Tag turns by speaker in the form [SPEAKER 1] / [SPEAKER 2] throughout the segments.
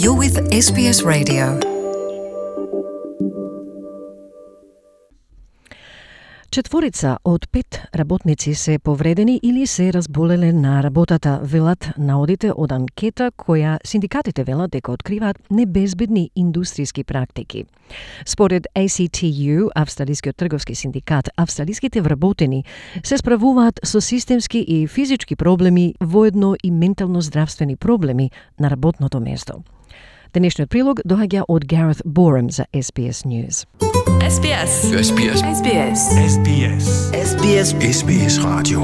[SPEAKER 1] You're with SBS Radio. Четворица од 5 работници се повредени или се разболеле на работата, велат наодите од анкета која синдикатите велат дека откриваат небезбедни индустријски практики. Според ACTU, Австралискиот трговски синдикат, австралиските вработени се справуваат со системски и физички проблеми, воедно и ментално-здравствени проблеми на работното место. Денешниот прилог доаѓа од Gareth Borum за SBS News.
[SPEAKER 2] SBS.
[SPEAKER 3] SBS.
[SPEAKER 2] SBS.
[SPEAKER 3] SBS.
[SPEAKER 2] SBS.
[SPEAKER 3] SBS Radio.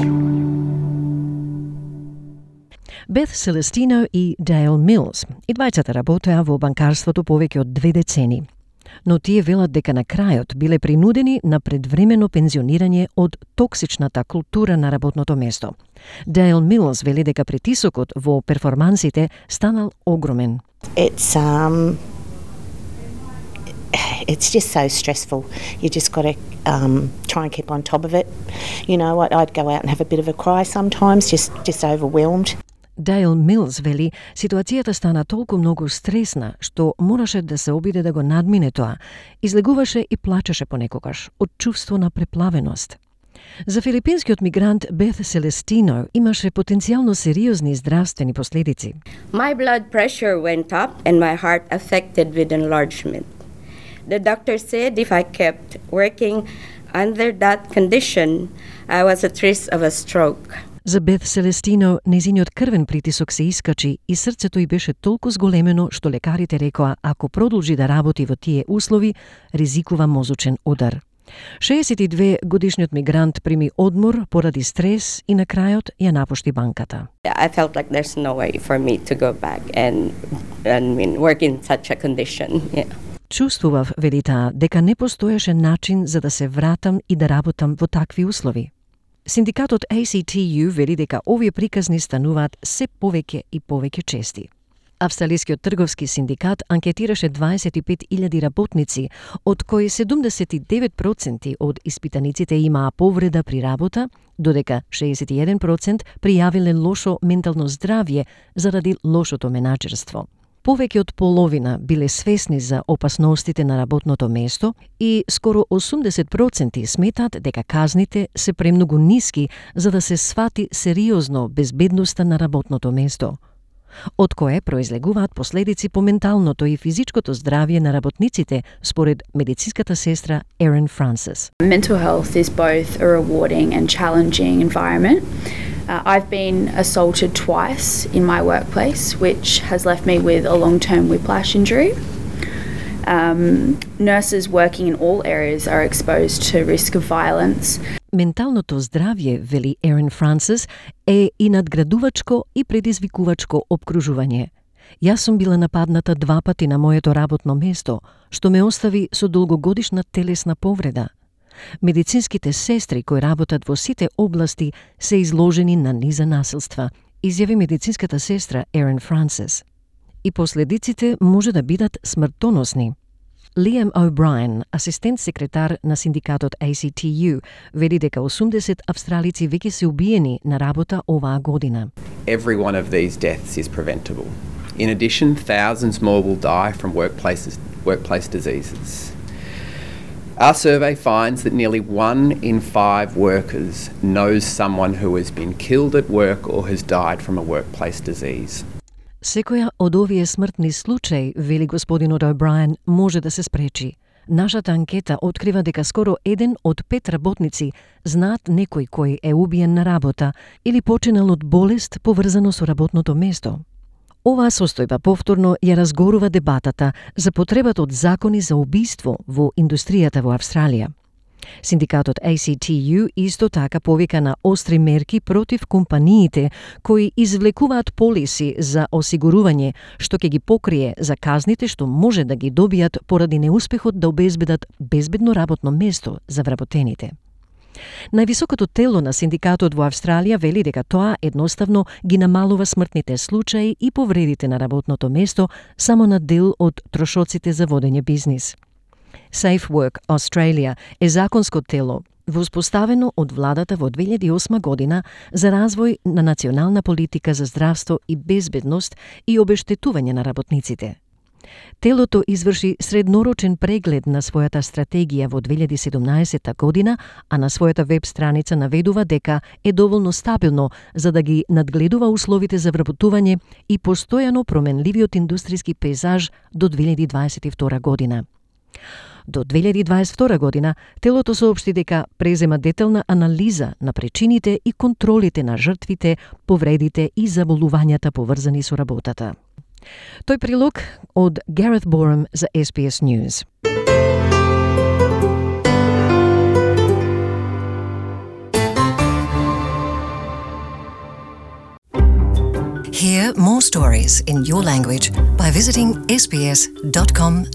[SPEAKER 1] Beth Celestino и Dale Mills, и двајцата работеа во банкарството повеќе од 2 децени. Но тие велат дека на крајот биле принудени на предвремено пензионирање од токсичната култура на работното место. Dale Mills вели дека притисокот во перформансите станал огромен.
[SPEAKER 4] It's just so stressful. You just got to try and keep on top of it. You know what? I'd go out and have a bit of a cry sometimes, just overwhelmed.
[SPEAKER 1] Dale Mills вели, ситуацијата стана толку многу стресна, што мораше да се обиде да го надмине тоа. Излегуваше и плачеше понекогаш од чувство на преплавеност. За филипинскиот мигрант Beth Celestino имаше потенцијално сериозни здравствени последици.
[SPEAKER 5] My blood pressure went up and my heart affected with enlargement. The doctor said if I kept working under that condition, I was at risk of a stroke.
[SPEAKER 1] За Beth Celestino, незиниот крвен притисок се искачи и срцето й беше толку зголемено што лекарите рекоа ако продолжи да работи во тие услови, ризикува мозочен удар. 62 годишниот мигрант прими одмор поради стрес и на крајот ја напушти банката.
[SPEAKER 5] I felt like there's no way for me to go back and work in such a condition. Yeah.
[SPEAKER 1] Чувствував, вели таа, дека не постоеше начин за да се вратам и да работам во такви услови. Синдикатот ACTU вели дека овие приказни стануваат се повеќе и повеќе чести. Австралискиот трговски синдикат анкетираше 25.000 работници, од кои 79% од испитаниците имаа повреда при работа, додека 61% пријавиле лошо ментално здравје заради лошото менаџерство. Повеќе од половина биле свесни за опасностите на работното место и скоро 80% сметат дека казните се премногу ниски за да се свати сериозно безбедноста на работното место, од кое произлегуваат последици по менталното и физичкото здравје на работниците, според медицинската сестра Erin Francis.
[SPEAKER 6] Mental health is both a rewarding and challenging environment. I've been assaulted twice in my workplace, which has left me with a long-term whiplash injury. Nurses working in all areas are exposed to risk of violence.
[SPEAKER 1] Менталното здравје, вели Erin Francis, е и надградувачко и предизвикувачко обкружување. Јас сум била нападната 2 пати на моето работно место, што ме остави со долгогодишна телесна повреда. Медицинските сестри кои работат во сите области се изложени на низа насилства, изјави медицинската сестра Erin Francis. И последиците може да бидат смртоносни. Liam O'Brien, асистент секретар на синдикатот ACTU, вели дека 80 австралици веќе се убиени на работа оваа година.
[SPEAKER 7] Every one of these deaths is preventable. In addition, thousands more will die from workplace diseases. Our survey finds that nearly 1 in 5 workers knows someone who has been killed at work or has died from a workplace disease.
[SPEAKER 1] Секоја од овие смртни случаи, вели господинот O'Brien, може да се спречи. Нашата анкета открива дека скоро 1 од 5 работници знаат некој кој е убиен на работа или починал од болест поврзано со работното место. Оваа состојба повторно ја разгорува дебатата за потребата од закони за убиство во индустријата во Австралија. Синдикатот ACTU исто така повика на остри мерки против компаниите кои извлекуваат полиси за осигурување што ќе ги покрие за казните што може да ги добијат поради неуспехот да обезбедат безбедно работно место за вработените. Највисокото тело на синдикатот во Австралија вели дека тоа едноставно ги намалува смртните случаи и повредите на работното место само на дел од трошоците за водење бизнис. Safe Work Australia е законско тело, воспоставено од владата во 2008 година за развој на национална политика за здравство и безбедност и обештетување на работниците. Телото изврши среднорочен преглед на својата стратегија во 2017 година, а на својата веб страница наведува дека е доволно стабилно за да ги надгледува условите за вработување и постојано променливиот индустријски пейзаж до 2022 година. До 2022 година, телото соопшти дека презема детална анализа на причините и контролите на жртвите, повредите и заболувањата поврзани со работата. Тој прилог од Gareth Borum за SBS News.
[SPEAKER 3] Hear more stories in your language by visiting sbs.com.au.